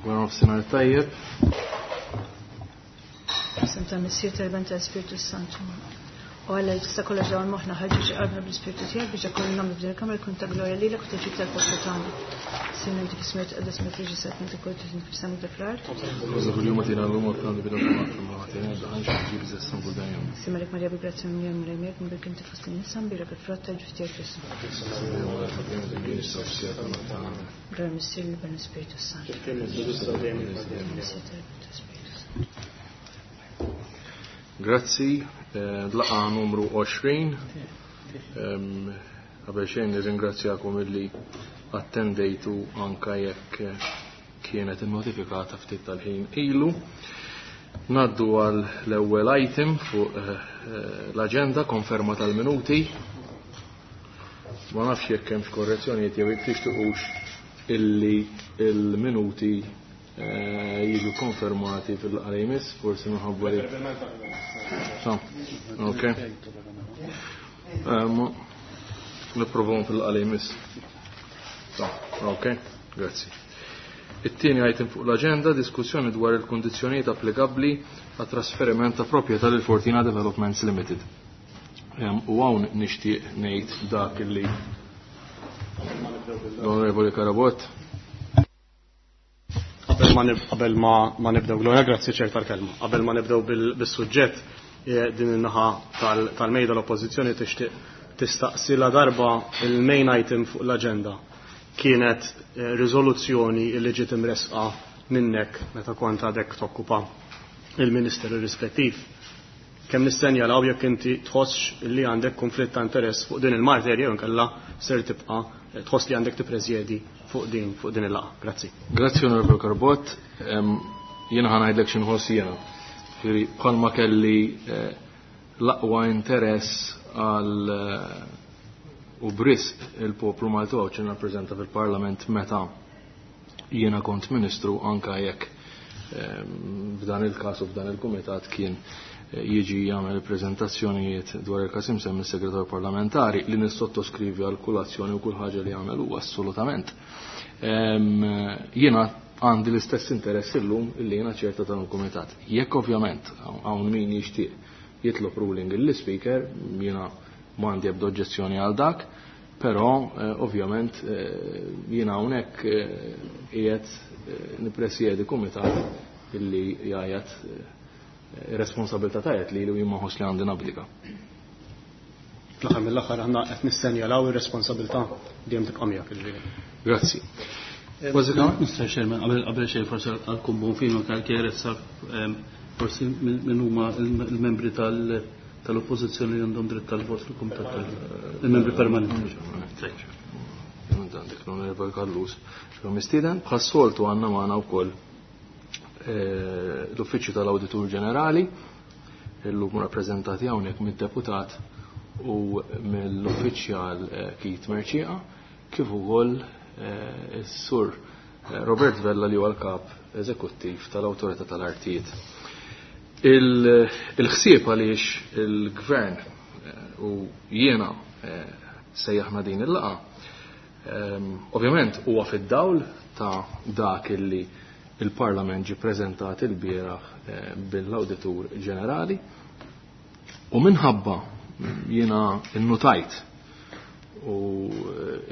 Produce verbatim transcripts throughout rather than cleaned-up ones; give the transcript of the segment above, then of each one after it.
Wara nofsinhar tajjeb. Isem tal-Missier, tal-Iben, tal-Ispirtu Santu. U Alla li tista' kollox dawn moħħna ħarġu xi qalbna bl-Ispirtu tiegħek biex dak kollu nagħmlu f'din il-kamra jkun ta' glorja lilek u ta' ġid tal-poplu tagħna. Sinna dik ismiet qaddas ma tiġi sat meta kont fis-sema ta' fl-art. Uża kuljum għatina l-lum għal bida ma' daħan xi ġib żessan kull dejjem. Simalek Marija bi grazzja minn jom rejmek minn inti fost in-nisa mbira bil-frott tal-ġuf tiegħek Ġesù. Glorja Missier l-Iben Spiritu Santu. Missier tal-Iben tal-Ispirtu Santu. Grazzi, laqa numru għoxrin. Qabel xejn nirringrazzjakom illi attendejtu anka jekk kienet innotifikata ftit tal-ħin ilu. Naddu għal l-ewwel item fuq l-aġenda, konferma tal-minuti. Ma nafx jekk hemmx korrezzjonijiet jew jekk tixtiqux illi il-minuti jiġu konfermati fil-laqgħa li jmiss, forsi minħabba li. Ok. Nipprovahom fil-laqgħa li jmiss. Ok, grazzi. It-tieni item fuq l-aġenda, diskussjoni dwar il-kundizzjonijiet applikabbli għat trasferiment ta' proprjetà lil Fortina Developments Limited. U hawn nixtieq ngħid dak illi l-Onorevoli Carabott. Qabel ma nibdew, Gloria, grazzi ċer tal-kelma. Qabel ma nibdew bis-suġġett, din in-naħa tal-mejda l-Oppożizzjoni tixtieq tistaqsi la darba il-main item fuq l-aġenda kienet riżoluzzjoni li ġiet imresqa minnek meta kont għadek tokkupa il-ministeru rispettiv. Kemm nistenjalaw jekk inti tħossx li għandek konflitt ta' interess fuq din il-materja jew inkella ser tibqa' tħoss li għandek tippreżjedi fuq din fuq din il-laqgħa. Grazzi. Grazzi Onorevole Carabott. Jiena ħa ngħidlek xi nħoss jiena. Ġifieri bħalma kelli l-aqwa interess għal u brisq il-poplu Malti u Għawdxi nirrappreżenta fil-Parlament meta jiena kont ministru, anka jekk f'dan il-każ u f'dan il-kumitat kien jiġi jagħmel preżentazzjonijiet dwar il-każ imsemmi s-segretarju parlamentari li nissottoskrivi għal kull azzjoni u kull ħaġa li jagħmel huwa assolutament. Jiena għandi l-istess interess illum illi jiena ċerta dan il-kumitat. Jekk ovvjament hawn min jixtieq jitlob ruling lill-speaker, jiena m'għandi ebda oġġezzjoni għal dak, però ovvjament jiena hawnhekk qiegħed nippresjedi kumitat illi jgħajjat responsabilità tajjeb li li jien ma nħoss li għandi nabdika. Fl-aħħar mill-aħħar aħna qed nistenjalaw ir-responsabilità dejjem tibqa' miegħek, jiġifieri. Grazzi. Mister Chairman, qabel qabel xejn forsi għall-kumbun fino tal-kjerezza forsi min huma il-membri tal-oppożizzjoni li għandhom dritt tal-vot fil-kumitat tal-membri permanenti. Għandek l-Onorevole Callus. Mistieden, bħas-soltu għandna magħna wkoll l-Uffiċċju tal-Awditur Ġenerali, illum rappreżentati hawnhekk mid-deputat u mill-uffiċjal Keith Mercieca, kif ukoll is-Sur Robert Vella li huwa l-kap eżekuttiv tal-Awtorità tal-Artijiet. Il-ħsieb għaliex il-Gvern u jiena sejjaħna din il-laqgħa, ovvjament huwa fid-dawl ta' dak illi il-Parlament ġie preżentat il-bieraħ bil-Awditur Ġenerali, u minħabba jiena innutajt u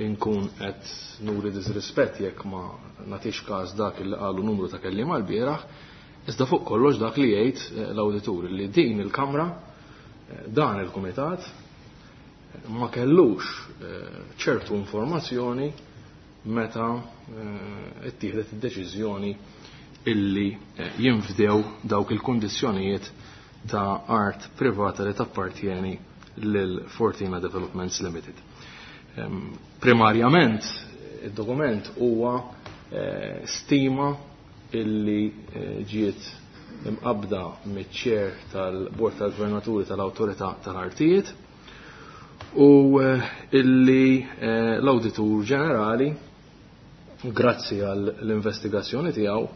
inkun qed nuri disrispett jekk ma nagħtix każ dak illi qalu numru ta' kelliema l-bieraħ, iżda fuq kollox dak li jgħid l-awditur li din il-Kamra, dan il-Kumitat ma kellux ċertu informazzjoni meta ittieħdet id-deċiżjoni illi jinfdew dawk il-kundizzjonijiet ta' art privata li tappartjeni lil Fortina Developments Limited. Primarjament id-dokument huwa stima illi ġiet imqabda miċ-chair tal-Bord tal-Gvernaturi tal-Awtorità tal-Artijiet u illi l-Awditur Ġenerali, grazzi għall-investigazzjoni tiegħu,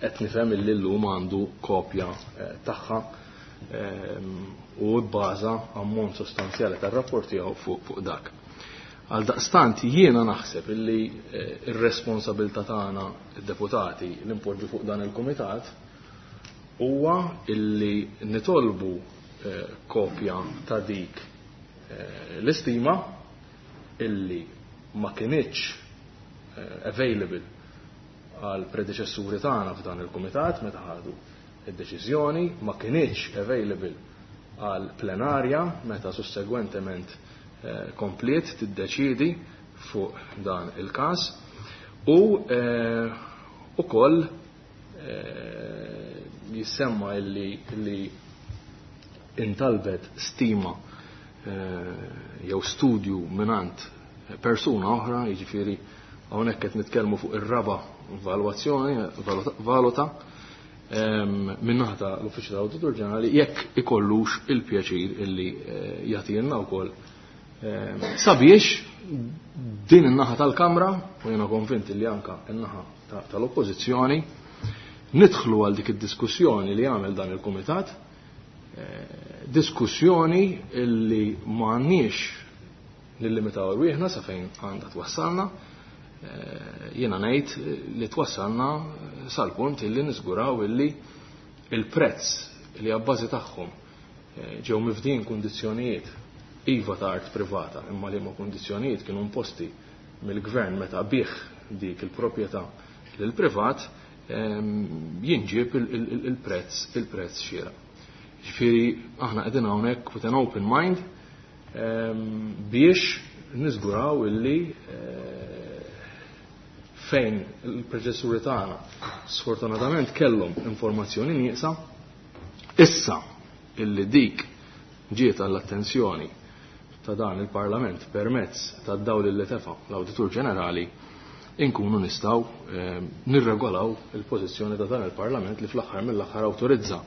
qed nifhem illi llum għandu kopja tagħha u bbaża ammont sostanzjali tar-rapport tiegħu fuq dak. Għal daqstant jiena naħseb illi ir-responsabilità tagħna id-deputati li npoġġu fuq dan il-kumitat huwa illi nitolbu kopja ta' dik l-istima illi ma kinitx available għal predeċessuri tagħna f'dan il-kumitat meta ħadu id-deċiżjoni, ma kinitx available għal plenarja meta sussegwentement kompliet tiddeċidi fuq dan il-każ u ukoll jissemma illi illi intalbet stima jew studju minant persuna oħra, jiġifieri hawnhekk qed nitkellmu fuq ir-raba' valwazzjoni valuta min-naħa tal-Uffiċċju tal-Awditur Ġenerali jekk ikollux il-pjaċir illi jagħtilna wkoll sabiex din in-naħa tal-Kamra, u jiena konvint li anka in-naħa tal-Oppożizzjoni, nidħlu għal dik id-diskussjoni li għamel dan il-Kumitat, diskussjoni illi m'għandniex nillimitaw rwieħna sa fejn għandha twassalna, jiena ngħid li twassalna sal-punt illi niżguraw illi il-prezz li abbażi tagħhom ġew mifdin kundizzjonijiet iva ta' art privata, imma li ma kundizzjonijiet kienu imposti mill-gvern meta bih dik il-proprjetà lil privat, jinġib il-prezz il-prezz xieraq. Ġifieri aħna qegħdin hawnhekk with an open mind biex niżguraw illi fejn il-preċessuri tagħna sfortunatament kellhom informazzjoni nieqsa, issa illi dik ġiet għall-attenzjoni ta' dan il-Parlament permezz ta' dawl li tefa l-Awditur Ġenerali, inkunu nistgħu nirregolaw il-pożizzjoni ta' dan il-Parlament li fl-aħħar mill-aħħar awtorizza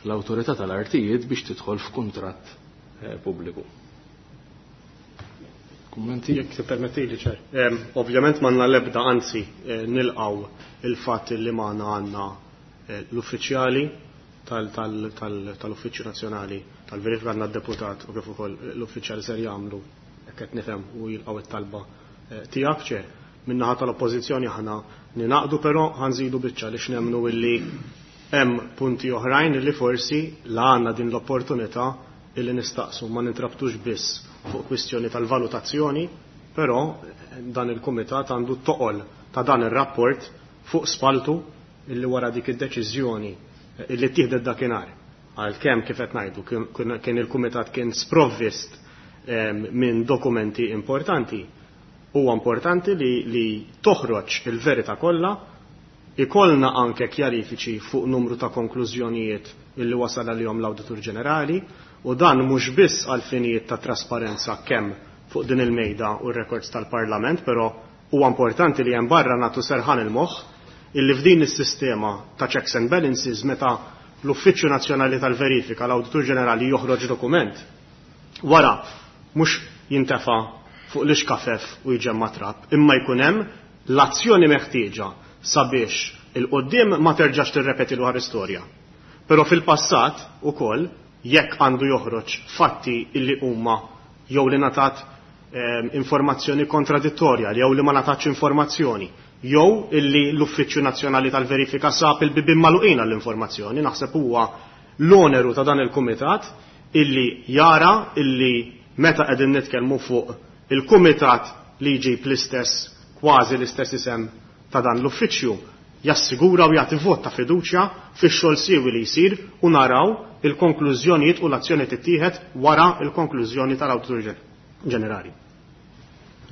l-Awtorità tal-Artijiet biex tidħol f'kuntratt pubbliku. Kummenti? Jekk tippermettili, ċer. Ovvjament m'għandna l-ebda, anzi nilqgħu il-fatt li magħna għandna l-uffiċjali tal-Uffiċċju Nazzjonali tal-Verifika, għandna d-deputat u kif ukoll l-uffiċjali ser jagħmlu hekk qed nifhem u jilqgħu it-talba tiegħek, ċer. Min-naħa tal-Oppożizzjoni aħna ninaqdu, però ħanżidu biċċa li x'nemmnu illi hemm punti oħrajn li forsi la għandna din l-opportunità illi nistaqsu ma nintrabtux biss fuq kwistjoni tal-valutazzjoni, però dan il-kumitat għandu toqol ta' dan ir-rapport fuq spaltu illi wara dik id-deċiżjoni illi ttieħdet dakinhar. Għalkemm kif qed ngħidu kien il-kumitat kien sprovvist minn dokumenti importanti, huwa importanti li, li toħroġ il-verità kollha, ikollna anke kjarifiċi fuq numru ta' konklużjonijiet illi wasal għalihom l-Awditur Ġenerali, u dan mhux biss għal finijiet ta' trasparenza kemm fuq din il-mejda u r-records tal-Parlament, però huwa importanti li hemm barra nagħtu serħan il-moħħ illi f'din is-sistema ta' checks and balances meta l-Uffiċċju Nazzjonali tal-Verifika, l-Awditur Ġenerali joħroġ dokument, wara mhux jintefa' fuq l-ixkafef u jġemma trab, imma jkun hemm l-azzjoni meħtieġa sabiex il-qoddim ma terġax tirrepeti l istorja. Però fil-passat ukoll jekk għandu joħroġ fatti illi huma jew li natat eh, informazzjoni kontradittorja jew li ma natatx informazzjoni, jew illi l-Uffiċċju Nazzjonali tal-Verifika sab il-bibien magħluqin għall-informazzjoni, naħseb huwa l-oneru ta' dan il-kumitat illi jara illi meta qegħdin nitkellmu fuq il-kumitat li jġib l-istess, kważi l-istess isem ta' dan l-uffiċċju, jassigura u jagħti vot ta' fiduċja fix-xogħol siewi li jsir u naraw il-konklużjonijiet u l-azzjoni tittieħed wara il-konklużjoni tal-Awditur Ġenerali.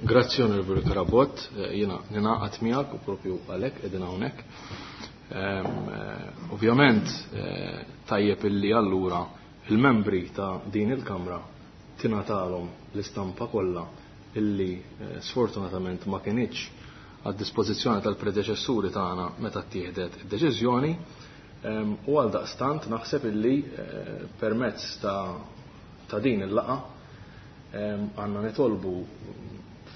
Grazzi Onorevoli Carabott, jiena ninaqat miegħek u propju għalhekk qegħdin hawnhekk. Ovvjament tajjeb illi allura il-membri ta' din il-Kamra tingħatalhom l-istampa kollha illi sfortunatament ma kinitx għad dispożizzjoni tal-predeċessuri tagħna meta ttieħdet id-deċiżjoni, u għal daqstant naħseb illi permezz ta', ta din il-laqa għandna nitolbu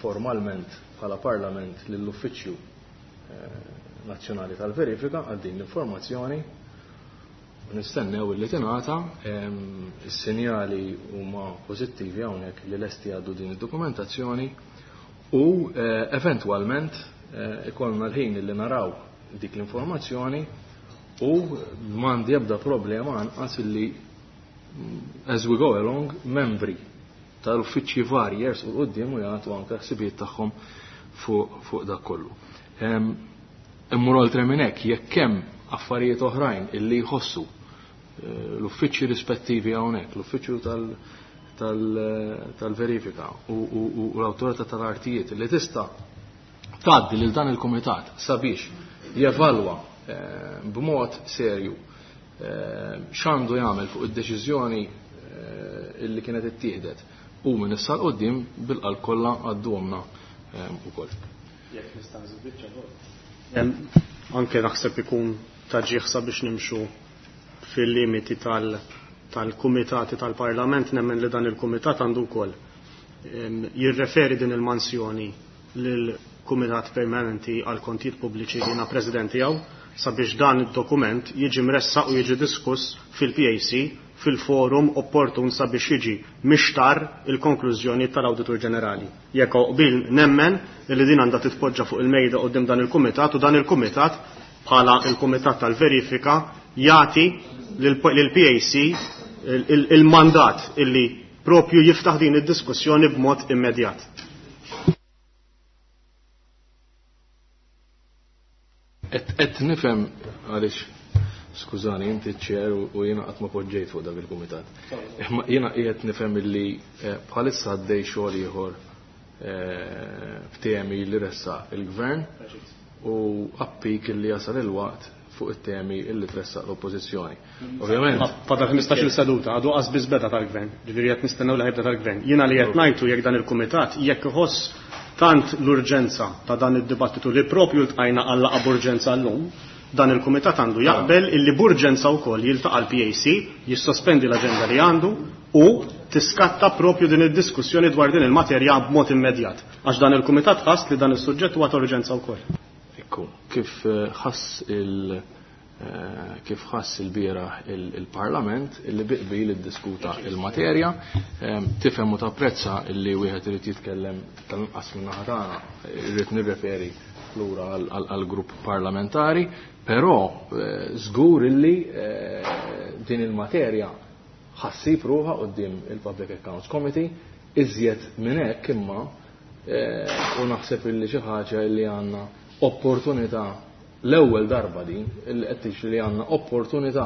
formalment bħala Parlament lill-Uffiċċju Nazzjonali tal-Verifika għal din l-informazzjoni u nistennew illi tingħata. Is-sinjali huma pożittivi hawnhekk li lesti għaddu din id-dokumentazzjoni u eventwalment ikollna l-ħin li naraw dik l-informazzjoni u m'għandi ebda problema anqas illi as we go along membri tal-uffiċċji varji jersqu l-qudiem u jagħtu anke ħsibijiet tagħhom fuq dak kollu. Immur oltre minn hekk, jekk hemm affarijiet oħrajn illi jħossu l-uffiċċji rispettivi hawnhekk, l-uffiċċju tal-verifika u l-awtorità tal-artijiet li tista' tgħaddi lil dan il-kumitat sabiex jevalwa b'mod serju x'għandu jagħmel fuq id-deċiżjoni illi kienet ittieħdet u minn issa l quddiem bil-qalb kollha għadduhomna ukoll. Jekk nista' nżid biċċa. Anke naħseb ikun ta' ġieħ sabiex nimxu fil-limiti tal-kumitati tal-Parlament, nemmen li dan il-kumitat għandu wkoll jirreferi din il-mansjoni lill-Kumitat Permanenti għal Kontijiet Pubbliċi li jiena President tiegħu sabiex dan id-dokument jiġi mressaq u jiġi diskuss fil-P A C fil-forum opportun sabiex jiġi mixtar il-konklużjoni tal-Awditur Ġenerali. Jekk qbil nemmen li din għandha titpoġġa fuq il-mejda quddiem dan il-kumitat u dan il-kumitat bħala il-Kumitat tal-Verifika jagħti lill-P A C il-mandat illi propju jiftaħ din id-diskussjoni b'mod immedjat. Qed nifhem għaliex, skużani, inti ċ-ċer u jiena qatt ma poġġejt fuq dak il-kumitat. Imma jiena qiegħed nifhem illi bħalissa għaddej xogħol ieħor f'temi li ressaq il-gvern u appik illi jasal il-waqt fuq it-temi illi tressaq l-oppożizzjoni. Ovvjament. Fadal ħmistax-il seduta, għadu qas biss beda tal-gvern, ġifieri qed nistennew li ħajbda tal-gvern. Jiena li qed ngħidu jekk dan il-kumitat jekk iħoss tant l-urġenza ta' dan id-dibattitu li propju ltqajna għal laqgħa b'urġenza llum, dan il-kumitat għandu jaqbel illi b'urġenza wkoll jiltaqa' l-P A C, jissospendi l-aġenda li għandu u tiskatta propju din id-diskussjoni dwar din il-materja b'mod immedjat. Għax dan il-kumitat ħass li dan is-suġġett huwa ta' urġenza wkoll. Ekku, kif ħass il-, kif ħass il-bieraħ il-Parlament illi biqbil iddiskuta il-materja, tifhem u tapprezza illi wieħed irid jitkellem tal-inqas min-naħa tagħna, irrid nirreferi lura għall-grupp parlamentari, però żgur illi din il-materja ħassib ruħha quddiem il-Public Accounts Committee, iżjed minn hekk imma u naħseb illi xi ħaġa illi għandna opportunità l-ewwel darba din illi qed tixri li għandna opportunità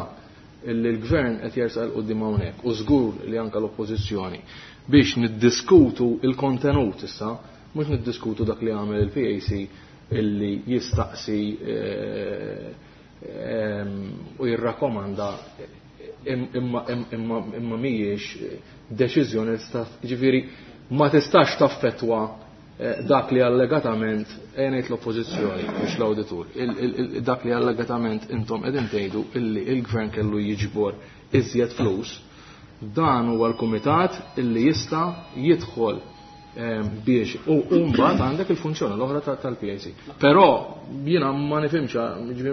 illi l-gvern qed jersaq 'l quddiem hawnhekk u żgur li anke l-oppożizzjoni biex niddiskutu il-kontenut issa, mhux niddiskutu dak li għamel il-P A C illi jistaqsi u jirrakkomanda imma, imma, imma mhijiex deċiżjoni tista', ġifieri ma tistax taffettwa dak li allegatament ngħid l-oppożizzjoni mhux l-awditur, dak li allegatament intom qegħdin tgħidu illi il-gvern kellu jiġbor iżjed flus, dan huwa l-kumitat illi jista' jidħol biex u mbagħad għandek il-funzjoni l-oħra tal-P A C. Però jiena ma nifhimx, ġifieri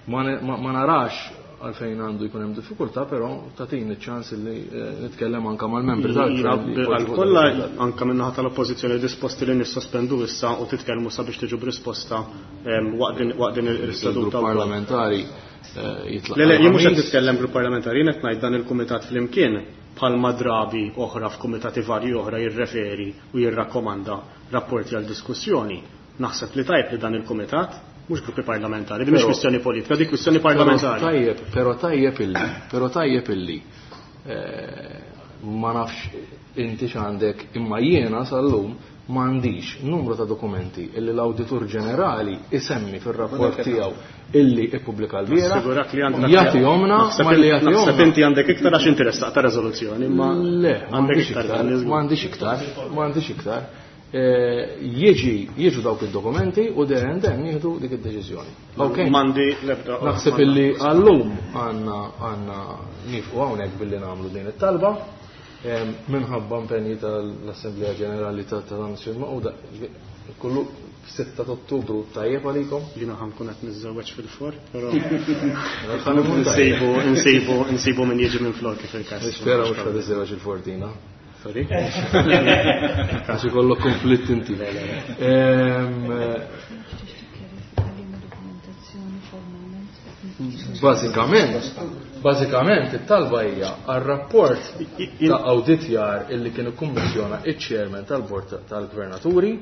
ma narax għalfejn għandu jkun hemm diffikultà, però tagħtini ċ-ċans li nitkellem anke mal-membri tal-gvern. Għal kollha anke min-naħa tal-oppożizzjoni disposti li nissospendu issa u titkellmu sabiex tiġu b'risposta waqt din il-seduta Il-grupp parlamentari jitlaq. Le, le, jien mhux qed nitkellem grupp parlamentari, jien qed ngħid dan il-kumitat flimkien bħalma drabi oħra f'kumitati varji oħra jirreferi u jirrakkomanda rapporti għal diskussjoni. Naħseb li tajb li dan il-kumitat mhux gruppi parlamentari, di mhix Però kwistjoni politika, di kwistjoni parlamentari. Però tajjeb, però tajjeb illi, però tajjeb illi, eh, ma nafx inti x'għandek, imma jiena sal-lum m'għandix numru ta' dokumenti illi l-Awditur Ġenerali isemmi fir-rapport tiegħu illi ippubblika l-bieraħ. Assigurak li għandek Jagħtihomna, Naħseb ma li jagħtihomna. Naħseb inti għandek iktar għax inti ressaq ta' riżoluzzjoni, imma Le, għandek m'għandix iktar, iktar, għandek żgur. m'għandix iktar, m'għandix iktar. Eh, jiġi, jiġu dawk id-dokumenti u there and then nieħdu dik id-deċiżjoni. Ok? Mandi l-ebda. Naħseb illi għallum għandna, għandna nifqu hawnhekk billi nagħmlu din it-talba. Em, minħabba impenji tal-Assemblea Ġenerali ta' tal-Nazzjoni Magħquda, kollu sitta ta' Ottubru tajjeb għalikom? Jiena ħankun qed niżżewweġ fil-for, però Ħa nkun tajjeb. nsibu, nsibu, nsibu min jiġi minn flok kif il-każ. Nispera mhux ħa tiżżewweġ il-fortina. Sorry. Għax ikollok konflitt inti. Bażikament, bażikament it-talba hija għar-rapport ta' awditjar illi kien ikkummissjona iċ-chairman tal-Bord tal-Gvernaturi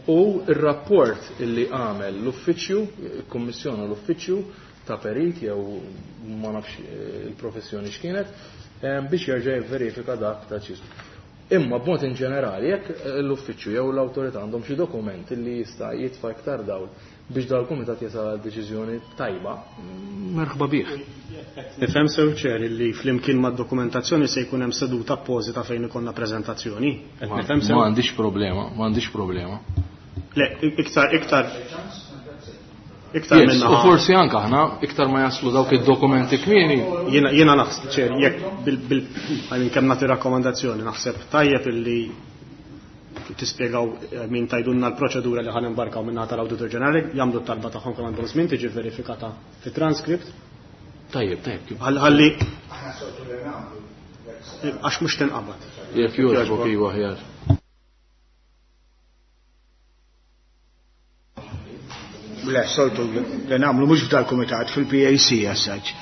u r-rapport illi għamel l-uffiċċju, ikkummissjona l-uffiċċju ta' perit jew ma nafx il-professjoni x'kienet, biex jerġa' jivverifika dak ta' ċismu. Imma b'mod in ġenerali, jekk l-uffiċċju jew l-awtorità għandhom xi dokument li jista' jitfa' iktar dawl biex dal-kumitat jasal għal deċiżjoni tajba, merħba bih. Nifhem sew ċer li flimkien mad-dokumentazzjoni se jkun hemm seduta appożita fejn ikollna preżentazzjoni. Qed nifhem sew? Ma għandix problema, ma għandix problema. Le, iktar iktar iktar Yes, minna. U forsi anke aħna iktar ma jaslu dawk id-dokumenti kmieni. Jiena jiena naħseb ċer jekk bil bil I mean kemm nagħti rakkomandazzjoni naħseb tajjeb illi tispjegaw min tajdunna l-proċedura li ħan imbarkaw minna tal-Awditur Ġenerali, jagħmlu t-talba tagħhom kemm għandhom żmien tiġi verifikata fit-transkript. Tajjeb, tajjeb, kif. Ħalli għax mhux tinqabad. Jekk jogħġbok iva aħjar. Le, soltu li nagħmlu mhux f'dal-kumitat, fil-P A C as such.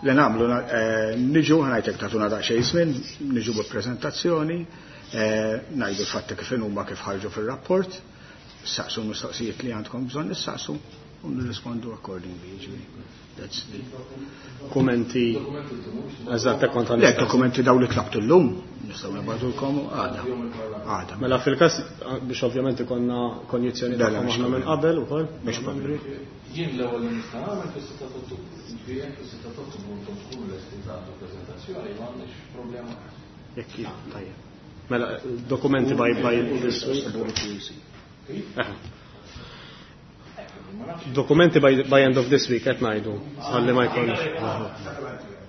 Li nagħmlu, eh, niġu, ħanajtek tagħtuna daqsxejn żmien, niġu bi preżentazzjoni, eh, ngħidu l-fatti kif huma kif ħarġu fir-rapport, saqsu l-mistoqsijiet li għandkom bżonn issaqsu u nirrispondu accordingly, jiġifieri. That's the Dokumenti. Eżatt, hekk kont Le, għandek. dokumenti daw li tlabtu llum, nistgħu nibgħatulkom għada. Għada. Mela fil-każ biex ovvjament ikollna konjizzjoni Le, le, tagħhom mhux aħna minn problema. qabel ukoll. Mhux problema. Jien l-ewwel li nista' nagħmel fis-sitta ta' Ottubru. Jiġifieri jekk fis-sitta ta' Ottubru intom tkunu lesti tagħtu preżentazzjoni, m'għandniex problema. Jekk tajjeb. Mela dokumenti by by this week. Dokumenti by, by end of this week qed ngħidu ħalli ma jkunx.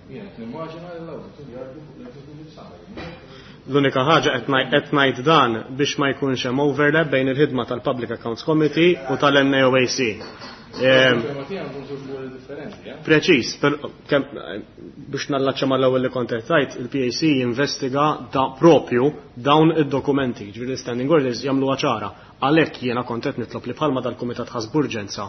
Jien qed nimmaġina li l-awditur jgħaddu fuq l-executive summary. L-unika ħaġa qed ngħid, qed ngħid dan biex ma jkunx hemm overlap bejn il-ħidma tal-Public Accounts Committee u tal-N A O A C. Ehm, Preċiż, per, kem, biex nallaċċa mal-ewwel li kont qed tgħid, il-P A C jinvestiga da propju dawn id-dokumenti, ġifieri l-standing orders jagħmluha ċara. Għalhekk jiena kont qed nitlob li bħalma dal-Kumitat ħass b'urġenza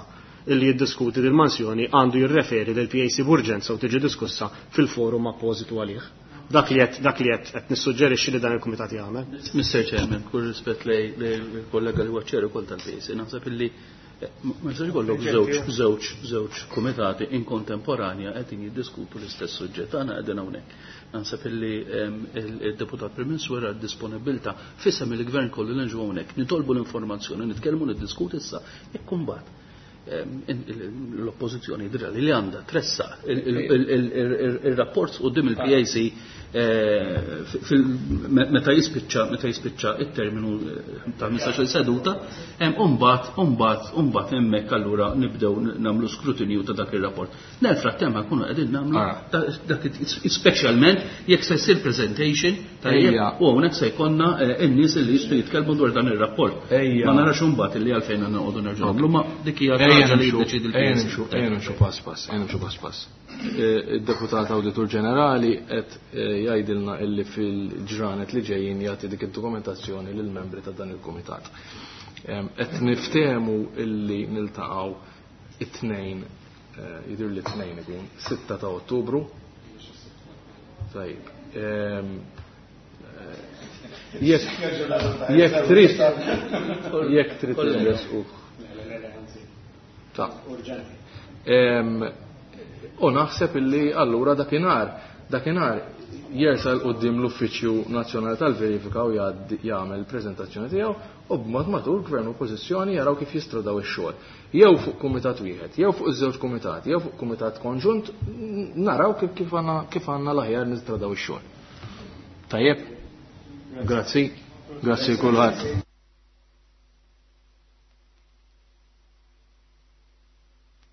illi jiddiskuti dil-mansjoni għandu jirreferi lil P A C b'urġenza u tiġi diskussa fil-forum appożitu għalih. Dak li qed, dak li qed, qed nissuġġerixxi li dan il-kumitat jagħmel. Mister Chairman, kull rispett lej, lej il-kollega li huwa ċer ukoll tal-P A C, naħseb illi ma jistax ikollok żewġ, żewġ, żewġ kumitati in kontemporanja qegħdin jiddiskutu l-istess suġġett. Aħna qegħdin hawnhekk. Naħseb illi, ehm, il-deputat Prim Ministru wera d-disponibilità f'isem il-gvern kollu li nġu hawnhekk, nitolbu l-informazzjoni, nitkellmu, niddiskutu issa, jekk imbagħad, ehm, in-, il-, l-oppożizzjoni jidhirha li għandha tressa il-, il-, il-, il-, il-, il-rapport quddiem il-P A C, eh, fil-, me-, meta jispiċċa, meta jispiċċa it-terminu, eh, ta' ħmistax-il seduta, hemm imbagħad, imbagħad, imbagħad hemmhekk allura nibdew n-, nagħmlu skrutinju ta' dak ir-rapport. Nel frattemp ħankunu qegħdin nagħmlu Ah. da-, dak it-, speċjalment jekk se jsir presentation tajjeb, Ejja. u hawnhekk se jkollna, eh, in-nies li jistgħu jitkellmu dwar dan ir-rapport. Ejja. Ma narax imbagħad illi għalfejn għandna noqogħdu nerġgħu nagħmlu, ma dik hija Ejja ħaġa li nimxu, jiddeċiedi l-P A C. ejja nimxu, ejja nimxu pass pass, ejja nimxu pass pass. Eh, id-deputat Awditur Ġenerali qed, eh, jgħidilna illi fil-ġranet li ġejjin jagħti dik id-dokumentazzjoni lill-membri ta' dan il-kumitat. Em, qed niftehmu illi niltaqgħu it-tnejn, eh, jidhir li t-tnejn ikun, sitta ta' Ottubru. Tajjeb. Em, eh, jekk, jekk trid, jekk trid inresqu. Ta' Em, u naħseb illi allura dakinhar, dakinhar jersal quddiem l-Uffiċċju Nazzjonali tal-Verifika u jgħaddi, jagħmel preżentazzjoni tiegħu u b'mod matur gvern u oppożizzjoni jaraw kif jistradaw ix-xogħol. Jew fuq kumitat wieħed, jew fuq iż-żewġ kumitati, jew fuq kumitat konġunt, naraw kif, kif għandna, kif għandna l-aħjar nistradaw ix-xogħol. Tajjeb? Grazzi. Grazzi kulħadd.